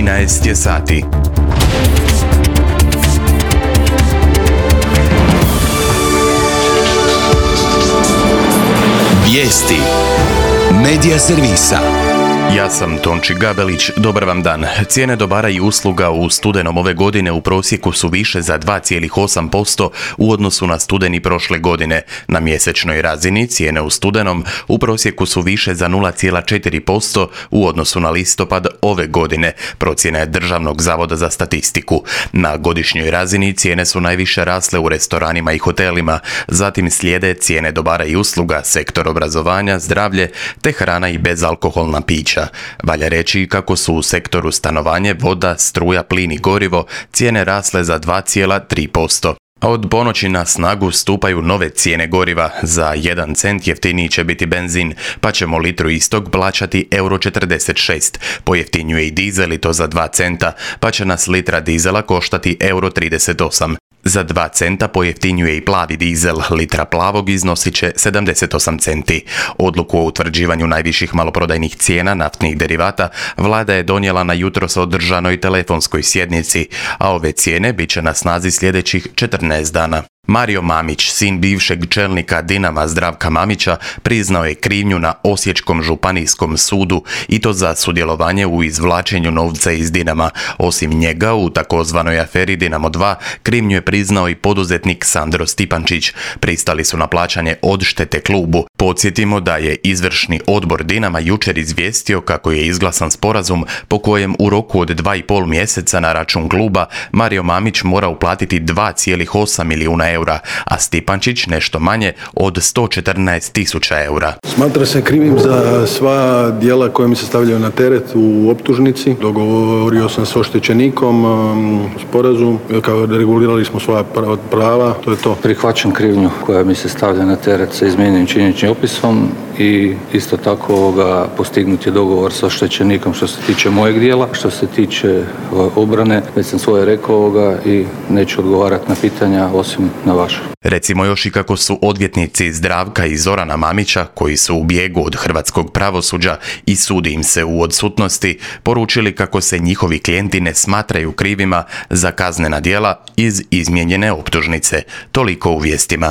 13 je sati. Vijesti Medija servisa. Ja sam Tonči Gabelić, dobar vam dan. Cijene dobara i usluga u studenom ove godine u prosjeku su više za 2,8% u odnosu na studeni prošle godine. Na mjesečnoj razini cijene u studenom u prosjeku su više za 0,4% u odnosu na listopad ove godine, procjena je Državnog zavoda za statistiku. Na godišnjoj razini cijene su najviše rasle u restoranima i hotelima, zatim slijede cijene dobara i usluga, sektor obrazovanja, zdravlje te hrana i bezalkoholna pića. Valja reći kako su u sektoru stanovanje, voda, struja, plin i gorivo cijene rasle za 2,3%. A od ponoći na snagu stupaju nove cijene goriva. Za 1 cent jeftiniji će biti benzin, pa ćemo litru istog plaćati €46. Pojeftinjuje i dizel i to za 2 centa, pa će nas litra dizela koštati €38. Za 2 centa pojeftinjuje i plavi dizel, litra plavog iznosit će 78 centi. Odluku o utvrđivanju najviših maloprodajnih cijena naftnih derivata vlada je donijela na jutros održanoj telefonskoj sjednici, a ove cijene bit će na snazi sljedećih 14 dana. Mario Mamić, sin bivšeg čelnika Dinama Zdravka Mamića, priznao je krivnju na Osječkom županijskom sudu i to za sudjelovanje u izvlačenju novca iz Dinama. Osim njega, u takozvanoj aferi Dinamo 2, krivnju je priznao i poduzetnik Sandro Stipančić. Pristali su na plaćanje odštete klubu. Podsjetimo da je izvršni odbor Dinama jučer izvijestio kako je izglasan sporazum po kojem u roku od 2,5 mjeseca na račun kluba Mario Mamić mora uplatiti 2,8 milijuna eura, a Stipančić nešto manje od 114.000 eura. Smatra se krivim za sva djela koja mi se stavljaju na teret u optužnici. Dogovorio sam s oštećenikom sporazum, kao regulirali smo svoja prava, to je to. Prihvaćam krivnju koja mi se stavlja na teret sa izmijenjenim činjeničnim opisom i isto tako postignut je dogovor sa oštećenikom što se tiče mojeg dijela. Što se tiče obrane, već sam svoje rekao i neću odgovarati na pitanja osim na vaše. Recimo još i kako su odvjetnici Zdravka i Zorana Mamića, koji su u bijegu od hrvatskog pravosuđa i sudi im se u odsutnosti, poručili kako se njihovi klijenti ne smatraju krivima za kaznena djela iz izmijenjene optužnice. Toliko u vijestima.